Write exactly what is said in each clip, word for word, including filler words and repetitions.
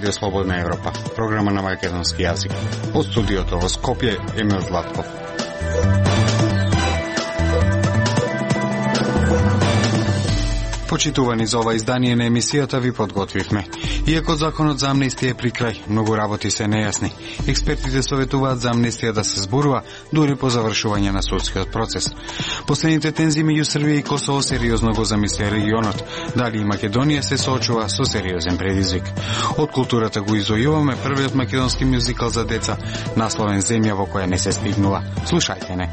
Радио Слободна Европа, програма на македонски јазик. Од студиото во Скопје, Емил Златков. Почитувани, за ова издание на емисијата ви подготвивме. Иако законот за амнестија е при крај, многу работи се нејасни. Експертите советуваат за амнестија да се зборува дури по завршување на судскиот процес. Последните тензии меѓу Србија и Косово сериозно го замислија регионот. Дали и Македонија се соочува со сериозен предизвик. Од културата го изојуваме првиот македонски мюзикал за деца, насловен Земја во која не се стигнува. Слушајте не.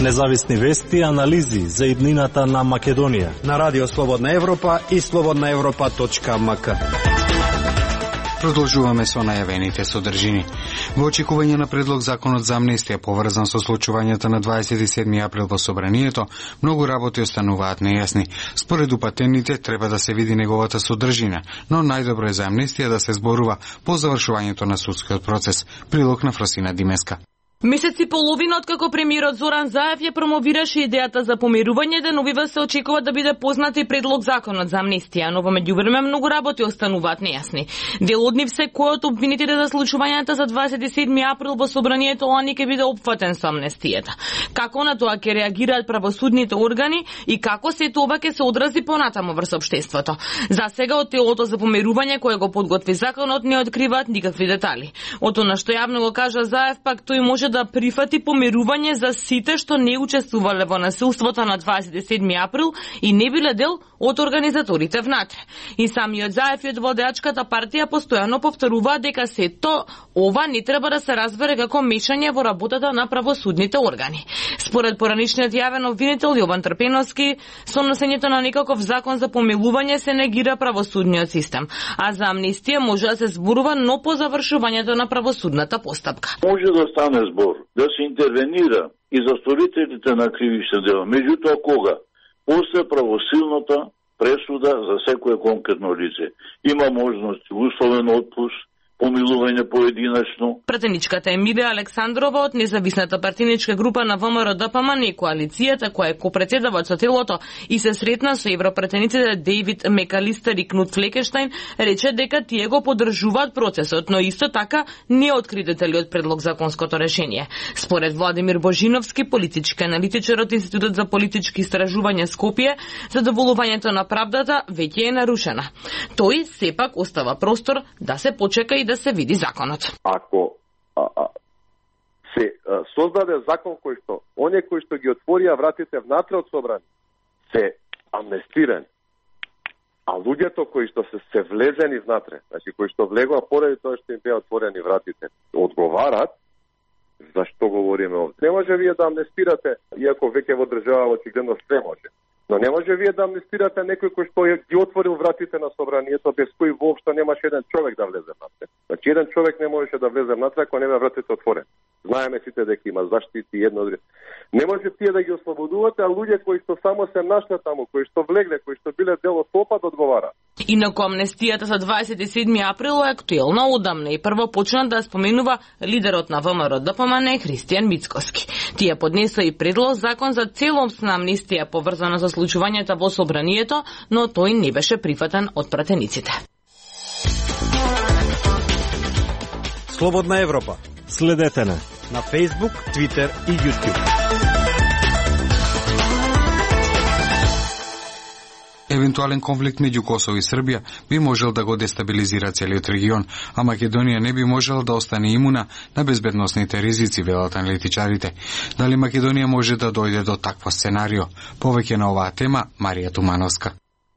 Независни вести и анализи за иднината на Македонија на Радио Слободна Европа и слободна европа точка ем ка. Продолжуваме со најавените содржини. Во очекување на предлог законот за амнестија поврзан со случувањата на дваесет и седми април во собранието, многу работи остануваат нејасни. Според упатените треба да се види неговата содржина, но најдобро е за амнестија да се зборува по завршувањето на судскиот процес. Прилог на Фросина Димеска. Месец и половина откако премиерот Зоран Заев ја промовираше идејата за помирување, деновива се очекува да биде познат и предлог законот за амнестија, но во меѓувреме многу работи остануваат нејасни. Дел од нив се кој од обвинетите за случувањата за дваесет и седми април во собранието ОАН ќе биде опфатен со амнестијата. Како на тоа ќе реагираат правосудните органи и како се тоа ќе се одрази понатаму врз општеството. За сега од телото за помирување кое го подготви законот не откриваат никакви детали. Од она што јавно го кажа Заев, пак тој може да прифати помирување за сите што не учествувале во насилството на дваесет и седми април и не биле дел од организаторите внатре. И самиот Заев и од водеачката партија постојано повторуваат дека сето ова не треба да се разбере како мешање во работата на правосудните органи. Според поранишниот јавен обвинител Јован Трпеновски, со носењето на некаков закон за помилување се негира правосудниот систем, а за амнестија може да се зборува, но по завршувањето на правосудната постапка. Може да стане збор, да се интервенира и за сторителите на кривишни дела. Меѓутоа кога? После правосилната пресуда за секое конкретно лице. Има можност условен отпуск, помилување поединечно. Пратеничката Емилија Александрова од независната партиничка група на ВМРО-ДПМН и коалицијата која е копредседаваат со телото и се сретна со европратениците Дейвид Мекалистер и Кнут Флекенштајн, рече дека тие го поддржуваат процесот, но исто така не откри детали од предлог законското решение. Според Владимир Божиновски, политички аналитичар од Институтот за политички истражувања Скопје, задоволувањето на правдата веќе е нарушена. Тој сепак остава простор да се почека и да се види законот. Ако а, а, се а, создаде закон кој што оние кои што ги отворија вратите внатре од собрани се амнестирани, а луѓето кои што се се влезени внатре, значи кои што влегоа поради тоа што им беа отворени вратите, одговарат, зашто говориме овде. Не може вие да амнестирате, иако веќе во држава очигледно све може. Но не може вие да амнестирате некој кој што ги отворил вратите на собранието, без кој воопшто немаше еден човек да влезе внатре. Значи еден човек не можеше да влезе внатре ако нема вратите отворени. Знаеме сите дека има заштити едно друго. Не може тие да ги ослободувате, а луѓе кои што само се нашли таму, кои што влегле, кои што биле дел од толпа да одговараат. Инаку амнестијата за дваесет и седми април е актуелна одамна и прво почна да споменува лидерот на ВМРО-ДПМН Христијан Мицкоски. Тие поднесоа и предлог закон за целосна амнестија поврзана со случувањата во собранието, но тој не беше прифатен од пратениците. Слободна Европа. Следете на на Facebook, Twitter и YouTube. Евентуален конфликт меѓу Косово и Србија би можел да го дестабилизира целиот регион, а Македонија не би можела да остане имуна на безбедносните ризици, велат аналитичарите. Дали Македонија може да дојде до такво сценарио? Повеќе на оваа тема Марија Тумановска.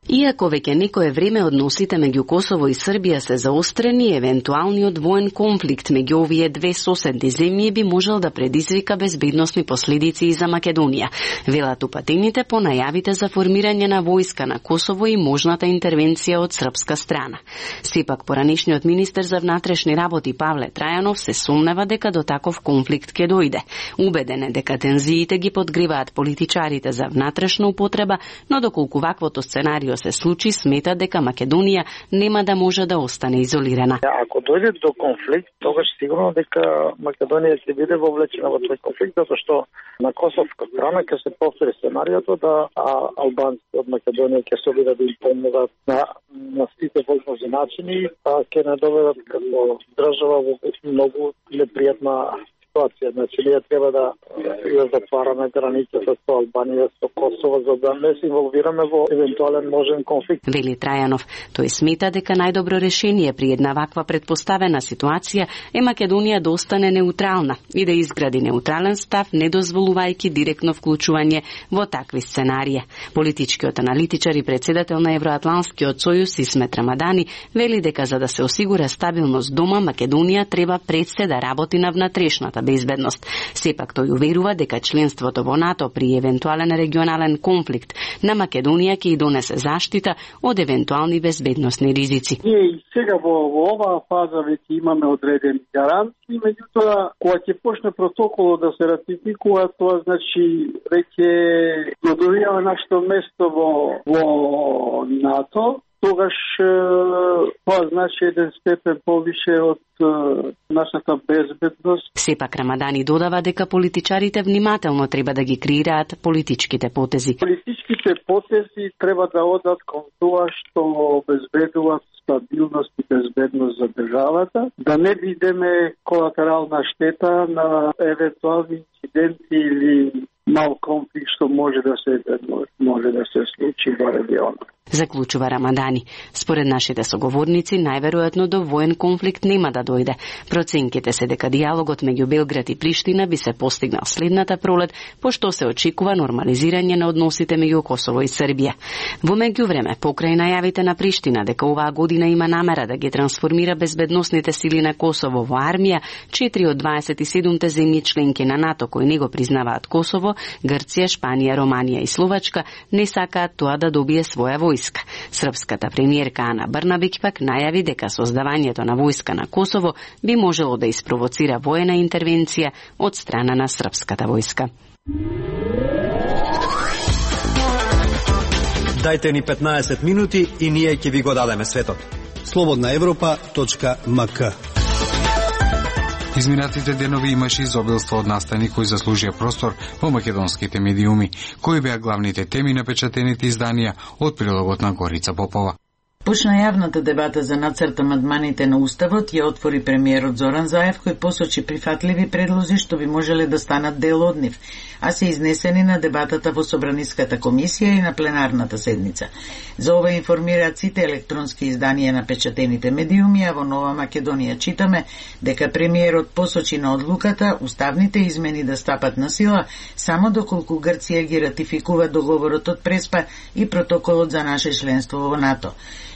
Иако веќе некое време односите меѓу Косово и Србија се заострени, евентуалниот воен конфликт меѓу овие две соседни земји би можел да предизвика безбедносни последици и за Македонија, велат упатените по најавите за формирање на војска на Косово и можната интервенција од српска страна. Сепак поранишниот министер за внатрешни работи Павле Трајанов се сомнева дека до таков конфликт ќе дојде. Убеден е дека тензиите ги подгриваат политичарите за внатрешна употреба, но доколку ваквото сценарио сценарио се случи, смета дека Македонија нема да може да остане изолирана. Ако дојде до конфликт, тогаш сигурно дека Македонија ќе биде вовлечена во тој конфликт, затоа што на косовска страна ќе се повтори сценариото да албанците од Македонија ќе се обидат да им помогат на, на сите возможни начини, а ќе не доведат како држава во многу непријатна ситуација. Значи, ние треба да ја затвараме границата со Албанија, со Косово, за да не се инволвираме во евентуален можен конфликт. Вели Трајанов, тој смета дека најдобро решение при една ваква предпоставена ситуација е Македонија да остане неутрална и да изгради неутрален став, не дозволувајќи директно вклучување во такви сценарија. Политичкиот аналитичар и председател на Евроатланскиот сојуз Исмет Рамадани вели дека за да се осигура стабилност дома, Македонија треба пред се да работи на внатрешната безбедност. Сепак тој уверува дека членството во НАТО при евентуален регионален конфликт на Македонија ќе и донесе заштита од евентуални безбедносни ризици. Ние и сега во, во оваа фаза веќе имаме одредени гаранции, меѓутоа кога ќе почне протоколот да се ратификува, тоа значи веќе го добиваме нашето место во, во НАТО. Тогаш тоа значи еден степен повише од нашата безбедност. Сепак Рамадани додава дека политичарите внимателно треба да ги креираат политичките потези. Политичките потези треба да одат кон тоа што обезбедуваат стабилност и безбедност за државата, да не бидеме колатерална штета на евентуални инциденти или мал конфликт што може да се може да се случи во регионот. Заклучува Рамадани. Според нашите соговорници, најверојатно до воен конфликт нема да дојде. Проценките се дека диалогот меѓу Белград и Приштина би се постигнал следната пролет, пошто се очекува нормализирање на односите меѓу Косово и Србија. Во меѓувреме, покрај најавите на Приштина дека оваа година има намера да ги трансформира безбедносните сили на Косово во армија, четири од дваесет и седумте земји членки на НАТО кои не го признаваат Косово, Грција, Шпанија, Романија и Словачка, не сакаат тоа да добие своја војска. Српската премиерка Ана Брнабиќ пак најави дека создавањето на војска на Косово би можело да испровоцира воена интервенција од страна на српската војска. Дајте ни петнаесет минути и ние ќе ви го дадеме светот. слободна европа точка ем ка. Изминатите денови имаше изобилство од настани кои заслужија простор во македонските медиуми, кои беа главните теми на печатените изданија од прилогот на Горица Попова. Почна јавната дебата за нацрт амандманите на Уставот ја отвори премиерот Зоран Заев, кој посочи прифатливи предлози што би можеле да станат дел од нив, а се изнесени на дебатата во Собраниската комисија и на пленарната седница. За ова информираат сите електронски изданија на печатените медиуми, а во Нова Македонија читаме дека премиерот посочи на одлуката уставните измени да стапат на сила само доколку Грција ги ратификува договорот од Преспа и протоколот за наше членство во НАТО.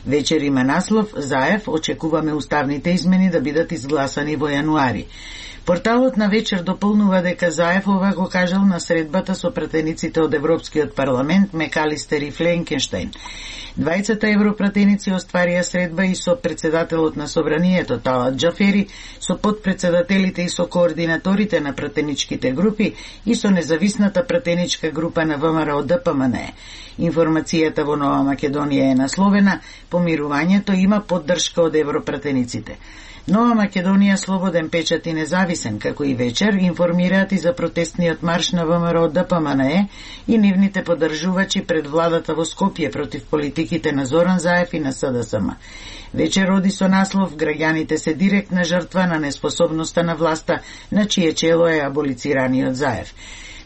Вечер има наслов Заев очекуваме уставните измени да бидат изгласани во јануари. Порталот на Вечер дополнува дека Заев ова го кажал на средбата со пратениците од Европскиот парламент Мекалистер и Фленкенштейн. Двајцата европратеници остварија средба и со председателот на Собранието Талат Џафери, со подпредседателите и со координаторите на пратеничките групи и со независната пратеничка група на ВМРО Д П М Н Е. Информацијата во Нова Македонија е насловена Помирувањето има поддршка од европратениците. Нова Македонија, Слободен печат и независен, како и Вечер, информираат и за протестниот марш на ВМРО Д П М Н Е и нивните поддржувачи пред владата во Скопје против политиките на Зоран Заев и на С Д С М. Вечер оди со наслов Граѓаните се директна жртва на неспособноста на власта, на чие чело е аболицираниот Заев.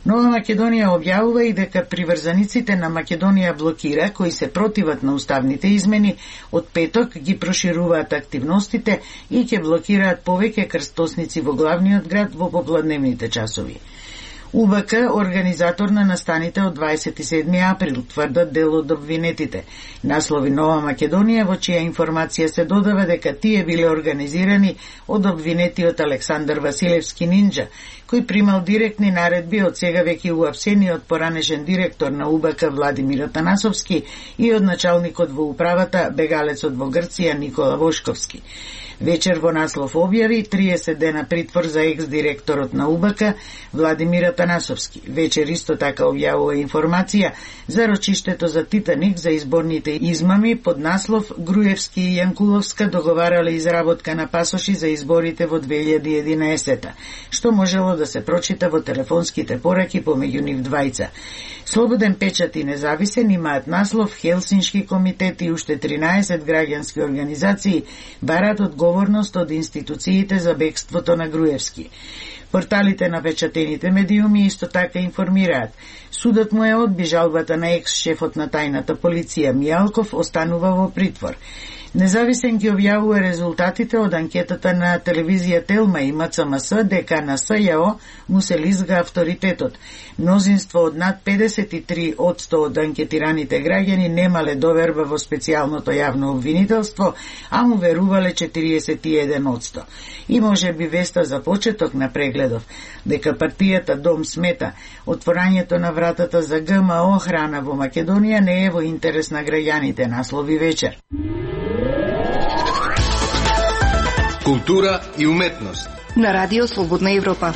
Нова Македонија објавува и дека приврзаниците на Македонија блокира, кои се противат на уставните измени, од петок ги прошируваат активностите и ќе блокираат повеќе крстосници во главниот град во попладневните часови. У Б К, организатор на настаните од дваесет и седми април, тврдат дел од обвинетите. Наслови Нова Македонија, во чија информација се додава дека тие биле организирани од обвинетиот Александар Василевски Нинџа, кој примал директни наредби од сега веќе уапсениот поранешен директор на У Б К Владимир Атанасовски и од началникот во управата, бегалецот во Грција Никола Вошковски. Вечер во наслов објави триесет дена притвор за екс-директорот на У Б К Владимир Атанасовски. Вечер исто така објавува информација за рочиштето за Титаник за изборните измами под наслов Груевски и Јанкуловска договарале изработка на пасоши за изборите во две илјади и единаесета, што можело да се прочита во телефонските пораки помеѓу нив двајца. Слободен печат и независен имаат наслов Хелсиншки комитет и уште тринаесет граѓански организации бараат одговорност од институциите за бегството на Груевски. Порталите на печатените медиуми исто така информираат. Судот му е одби жалбата на екс-шефот на тајната полиција Мијалков, останува во притвор. Независен ги објавува резултатите од анкетата на телевизија Телма и М Ц М С дека на С Ј О му се лизга авторитетот. Мнозинство од над педесет и три одсто од анкетираните граѓани немале доверба во специјалното јавно обвинителство, а му верувале четириесет и еден одсто. И може би веста за почеток на прегледов, дека партијата Дом смета отворањето на вратата за Г М О храна во Македонија не е во интерес на граѓаните, наслови Вечер. Култура и уметност на Радио Слободна Европа.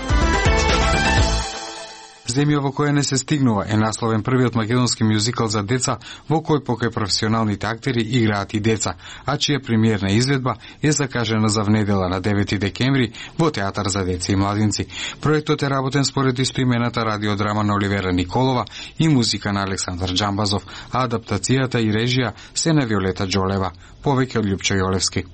Земја во која не се стигнува е насловен првиот македонски мюзикал за деца во кој покај професионалните актери играат и деца, а чија премиерна изведба е закажена за внедела на девети декември во Театар за деца и младинци. Проектот е работен според истоимената радиодрама на Оливера Николова и музика на Александар Џамбазов, а адаптацијата и режија се на Виолета Џолева. Повеќе од Љупчо Јолевски.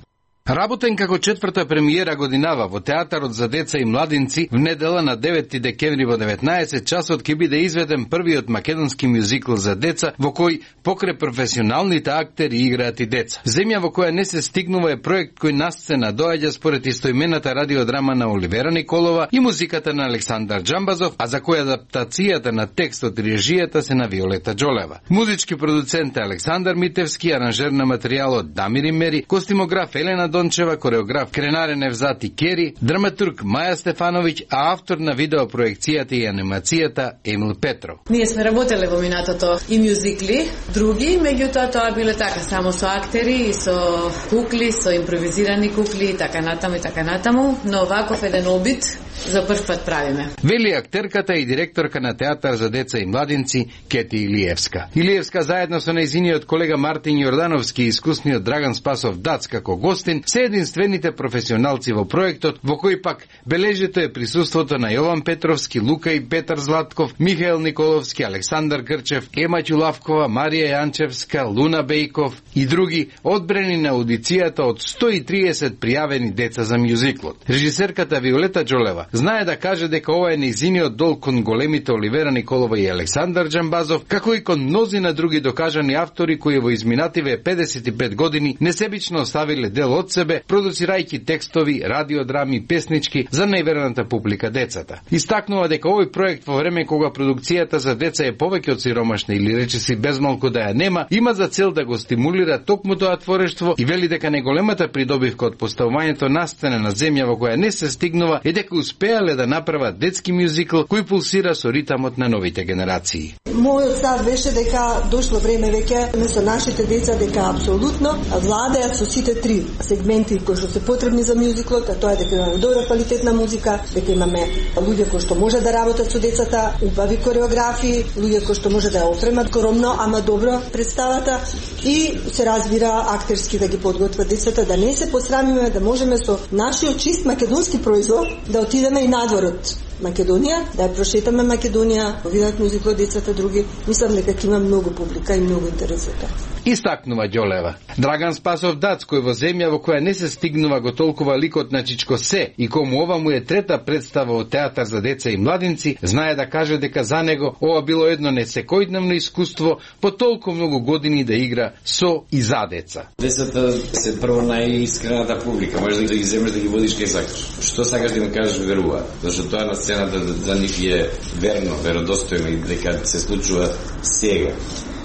Работен како четврта премиера годинава во Театарот за деца и младинци, в недела на девети декември во деветнаесет часот ќе биде изведен првиот македонски мюзикл за деца во кој покрај професионалните актери играат и деца. Земја во која не се стигнува е проект кој на сцена доаѓа според истоимената радиодрама на Оливера Николова и музиката на Александар Џамбазов, а за која адаптацијата на текстот и режијата се на Виолета Џолева. Музички продуцент е Александар Митевски, аранжер на материјалот Дамир Имери, костимограф Елена Дончева, кореограф Кренарен Невзати Кери, драматург Маја Стефановиќ, а автор на видеопроекцијата и анимацијата Емил Петров. Ние сме работеле во минатото и мюзикли, други, меѓутоа тоа биле така само со актери и со кукли, со импровизирани кукли и така натаму и така натаму, но ваков еден обид за прв пат правиме. Вели актерката и директорка на Театар за деца и младинци Кети Илиевска. Илиевска заедно со нејзиниот колега Мартин Јордановски и искусниот Драган Спасов Дац како гостин се единствените професионалци во проектот, во кој пак бележето е присуството на Јован Петровски, Лука и Петар Златков, Михаел Николовски, Александар Грчев, Ема Ќулавкова, Марија Јанчевска, Луна Бејков и други, одбрани на аудицијата од сто и триесет пријавени деца за мюзиклот. Режисерката Виолета Џолева знае да каже дека ова е нејзиниот долг кон големите Оливера Николова и Александар Џамбазов, како и кон мнозина други докажани автори кои во изминативе педесет и пет години несебично оставиле дел од себе, продуцирајќи текстови, радиодрами, песнички за најверната публика децата. Истакнува дека овој проект во време кога продукцијата за деца е повеќе од сиромашна или речиси безмалку да ја нема, има за цел да го стимулира токму тоа творештво и вели дека најголемата придобивка од поставувањето на сцена на земја во која не се стигнува е дека успеале да направат детски мюзикл кој пулсира со ритамот на новите генерации. Мојот став беше дека дошло време веќе со нашите деца дека апсолутно владеат со сите три сегменти кои што се потребни за мюзиклот, а тоа е дека имаме добра квалитетна музика, дека имаме луѓе кои што може да работат со децата, убави кореографии, луѓе кои што може да ја опремат скромно, ама добро представата и се разбира актерски да ги подготват децата, да не се посрамиме, да можеме со нашиот чист македонски производ да отидеме и надвор од Македонија, да ја прошетаме Македонија, да видат музиклот децата други. Мислам дека има многу публика и многу интерес за тоа. Истакнува Џолева. Драган Спасов Дац, кој во земја во која не се стигнува го толкува ликот на Чичко Се и кому ова му е трета представа од Театар за деца и младинци, знае да каже дека за него ова било едно несекојдневно искуство по толку многу години да игра со и за деца. Децата се прво најискрената публика, можеш да ги земеш да ги водиш кај сакаш. Што сакаш да им кажеш верува, зашто тоа на сцената за нив е верно, веродостојно и дека се случува сега.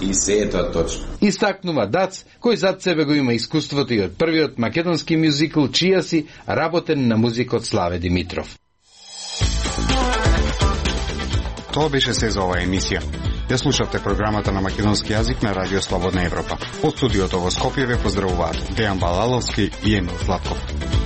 И се е тоа точно. Истакнува Дац, кој зад себе го има искуството и од првиот македонски мюзикл чија си работен на музикот Славе Димитров. Тоа беше се за оваа емисија. Ја слушавте програмата на македонски јазик на Радио Слободна Европа. Од студиото во Скопје ве поздравуваат Дејан Балаловски и Емил Златков.